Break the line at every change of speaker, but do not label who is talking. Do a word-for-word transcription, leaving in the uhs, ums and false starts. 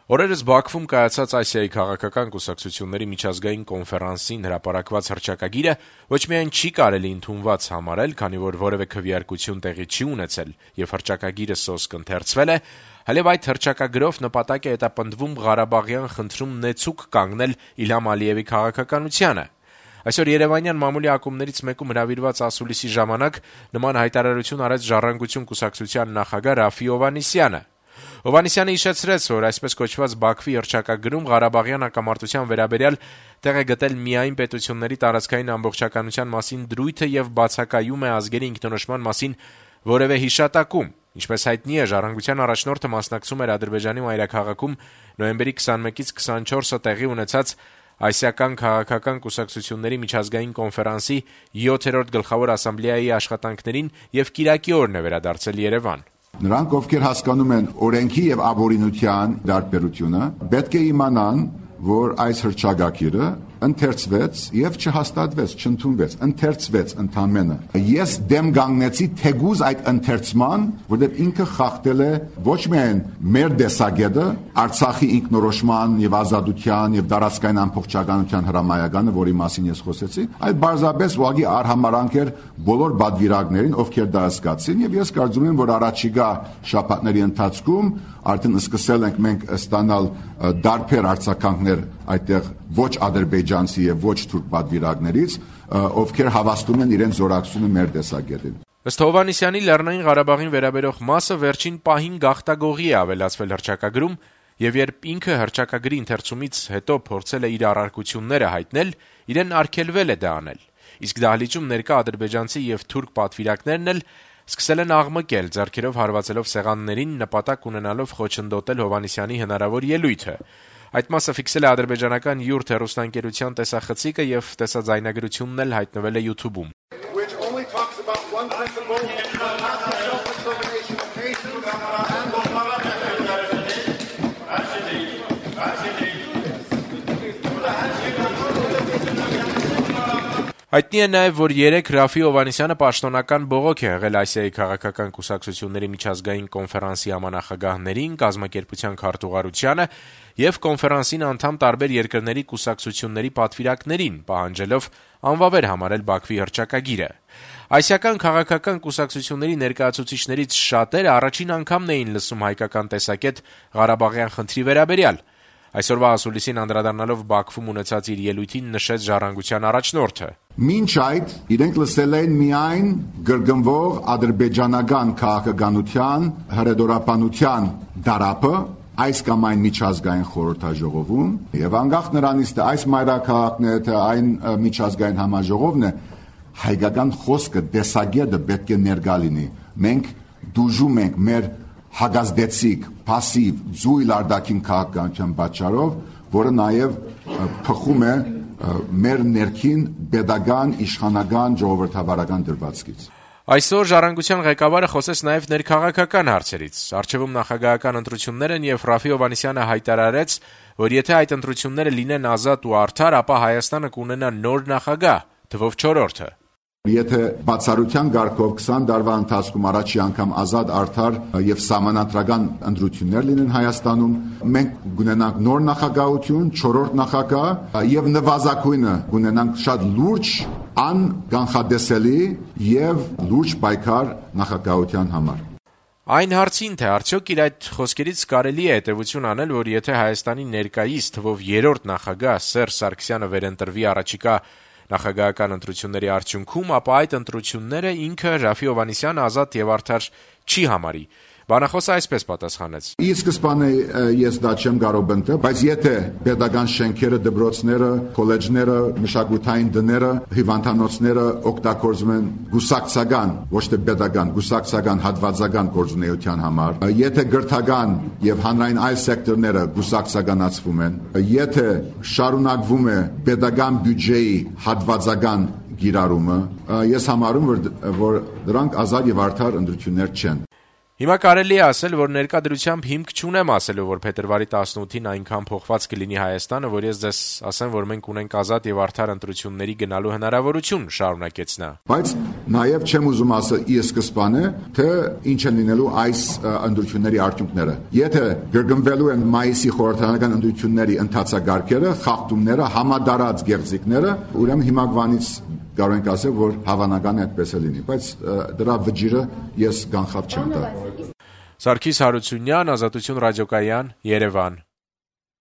Օրերս Բաքվում կայացած Ասիայի քաղաքական կուսակցությունների միջազգային կոնֆերանսին հրապարակված հռչակագիրը ոչ միայն չի կարելի ընդունված համարել, քանի որ որևէ քվեարկություն տեղի չի ունեցել եւ հռչակագիրը սոսկ ընթերցվել է, այլև այդ հռչակագրով նպատակ է հետապնդվում Ղարաբաղյան խնդրում նեցուկ կանգնել Իլհամ Ալիևի քաղաքականությանը։ Այսօր Երևանյան մամուլի ակումբներից մեկում հրավիրված ասուլիսի ժամանակ նման հայտարարություն արեց Ժառանգություն կուսակցության նախագահ Ռաֆի Հովհաննիսյանը։ Հովհաննիսյանը հիշեցրեց, որ այսպես կոչված Բաքվի հռչակագրում Ղարաբաղյան հակամարտության վերաբերյալ տեղ է գտել միայն պետությունների տարածքային ամբողջականության մասին դրույթը եւ բացակայում է ազգերի ինքնորոշման մասին որևէ հիշատակում։ Ինչպես հայտնի է, Ժառանգության առաջնորդը մասնակցում էր Ադրբեջանի մայրաքաղաքում նոյեմբերի քսաներկից քսանչորսը տեղի ունեցած Ասիական քաղաքական կուսակցությունների միջազգային կոնֆերանսի յոթերորդ գլխավոր ասամբլեայի աշխատանքներին եւ կիրակի օրն է վերադարձել Երևան։
Նրանք, ովքեր հասկանում են օրենքի եւ ապօրինության դարբերությունը, պետք է իմանան, որ այս հռչակագիրը ընթերցվեց եւ չհաստատվեց, չընդունվեց, ընթերցվեց ընդամենը։ Ես դեմ կանգնեցի թեգուզ այդ ընթերցման, որտեղ ինքը խախտել է ոչ միայն մեր տեսակետը, Արցախի ինքնորոշման եւ ազատության եւ տարածքային ամբողջականության հրամայականը, որի մասին ես խոսեցի, այլ բարձրապես ուղղակի արհամարանք էր բոլոր բادվիրակներին, ովքեր դա հասկացին, եւ ես կարծում եմ, որ առաջիկա շաբաթների ընթացքում արդեն սկսել ենք մենք ստանալ դարբեր արձագանքներ այդտեղ ոչ ադրբեջանցի եւ ոչ թուրք պատվիրակներից, ովքեր հավաստում են իրենց զորակցությունը մեր տեսակետին։
Ըստ Հովհաննիսյանի, Լեռնային Ղարաբաղին վերաբերող մասը վերջին պահին գաղտագողի է ավելացվել հռչակագրում, եւ երբ ինքը հռչակագրի ընթերցումից հետո փորձել է իր առարկությունները հայտնել, իրեն արգելվել է դա անել։ Իսկ դահլիճում ներկա ադրբեջանցի եւ թուրք պատվիրակներն էլ սկսել են աղմկել, ձեռքերով հարվածելով սեղաններին, նպատակ ունենալով խոչընդոտել Հովհաննիսյանի հնարավոր ելույթը։ Այդ մասը ֆիքսել է ադրբեջանական յուրթ հեռուստաընկերության տեսախցիկը եւ տեսաձայնագրությունն էլ հայտնվել է YouTube-ում։ Հայտնի է նաև, որ երեկ Ռաֆի Հովհաննիսյանը պաշտոնական բողոք է եղել Ասիայի քաղաքական կուսակցությունների միջազգային կոնֆերանսի համանախագահներին, կազմակերպության քարտուղարությանը եւ կոնֆերանսին անդամ տարբեր երկրների կուսակցությունների պատվիրակներին, պահանջելով անվավեր համարել Բաքվի հռչակագիրը։ Ասիական քաղաքական կուսակցությունների ներկայացուցիչներից շատերը առաջին անգամն էին լսում հայկական տեսակետ Ղարաբաղյան խնդրի վերաբերյալ։ Այսօրվա ասուլիսին անդրադառնալով Բաքվում ունեցած իր ելույթին նշեց Ժառանգության առաջնորդը.
Մինչ այդ իրենք լսել են միայն գրգնվող ադրբեջանական քաղաքականության հրեդորապանության դարապը այս կամ այն միջազգային խորհրդաժողովում եւ անկախ նրանից թե այս մայրաքաղաքն է թե այն միջազգային համաժողովն է, հայկական խոսքը տեսակետը պետք է ներկա լինի։ Մենք դուժում ենք մեր հագազդեցիկ, պասիվ, զույլ արդակին քաղաքականության պատճառով, որը նաև փխում է մեր ներքին pedagogan, իշխանական, ժողովրդավարական դրվածքից։
Այսօր Ժառանգության ղեկավարը խոսեց նաև ներքաղաքական հարցերից։ Առջևում նախագահական ընտրություններ են եւ Ռաֆի Հովհաննիսյանը հայտարարեց, որ եթե այդ ընտրությունները լինեն ազատ ու արդար, ապա Հայաստանը կունենա նոր նախագահ, թվով չորրորդը։
Եթե բացառության ղարքով քսան տարվա ընթացքում առաջի անգամ ազատ արդար եւ սահմանադրական ընտրություններ լինեն Հայաստանում, մենք կունենանք նոր նախագահություն, չորրորդ նախագահ եւ նվազագույնը կունենանք շատ լուրջ, անկանխատեսելի եւ լուրջ պայքար նախագահության համար։
Այն հարցին, թե արդյոք իր այդ խոսքերից կարելի է հետևություն անել, որ եթե Հայաստանի ներկայիս թվով երրորդ նախագահ Սերժ Սարգսյանը վերընտրվի առաջիկա նախագահական ընտրությունների արդյունքում, ապա այդ ընտրությունները ինքը Ռաֆի Հովհաննիսյանը ազատ եւ արդար չի համարի։ Բանախոսը այսպես պատասխանեց.
Ի սկզբանե ես դա չեմ կարող ընտրել, բայց եթե pedagogan շենքերը, դպրոցները, քոլեջները, մշակութային դները, հիվանդանոցները օգտագործում են գուսակցական, ոչ թե pedagogan, գուսակցական հատվածական գործունեության համար, եթե գրթական եւ հանրային այլ սեկտորները գուսակցականացվում են, եթե շարունակվում է pedagogan բյուջեի հատվածական գիրառումը, ես համարում որ որ դրանք ազատ եւ արդար ընտրություններ չեն։
Հիմա կարելի է ասել, որ ներկա դրությամբ հիմք չունեմ ասելու, որ փետրվարի տասնութին այնքան փոխված կլինի Հայաստանը, որ ես ձեզ ասեմ, որ մենք ունենք ազատ եւ արդար ընտրությունների գնալու հնարավորություն, շարունակեց նա։
Բայց նաեւ չեմ ուզում ասել ի սկզբանե, թե ինչ են լինելու այս ընտրությունների արդյունքները։ Եթե գրգռվելու են մայիսի խորհրդարանական ընտրությունների ընթացագարկերը, խախտումները, համադարած գեղձիկները, ուրեմն հիմակվանից կարող ենք ասել, որ հավանական է այդպես է լինի, բայց դրա վճիրը ես կանխավ չեմ տա։
Սարգիս Հարությունյան, Ազատություն ռադիոկայան, Երևան։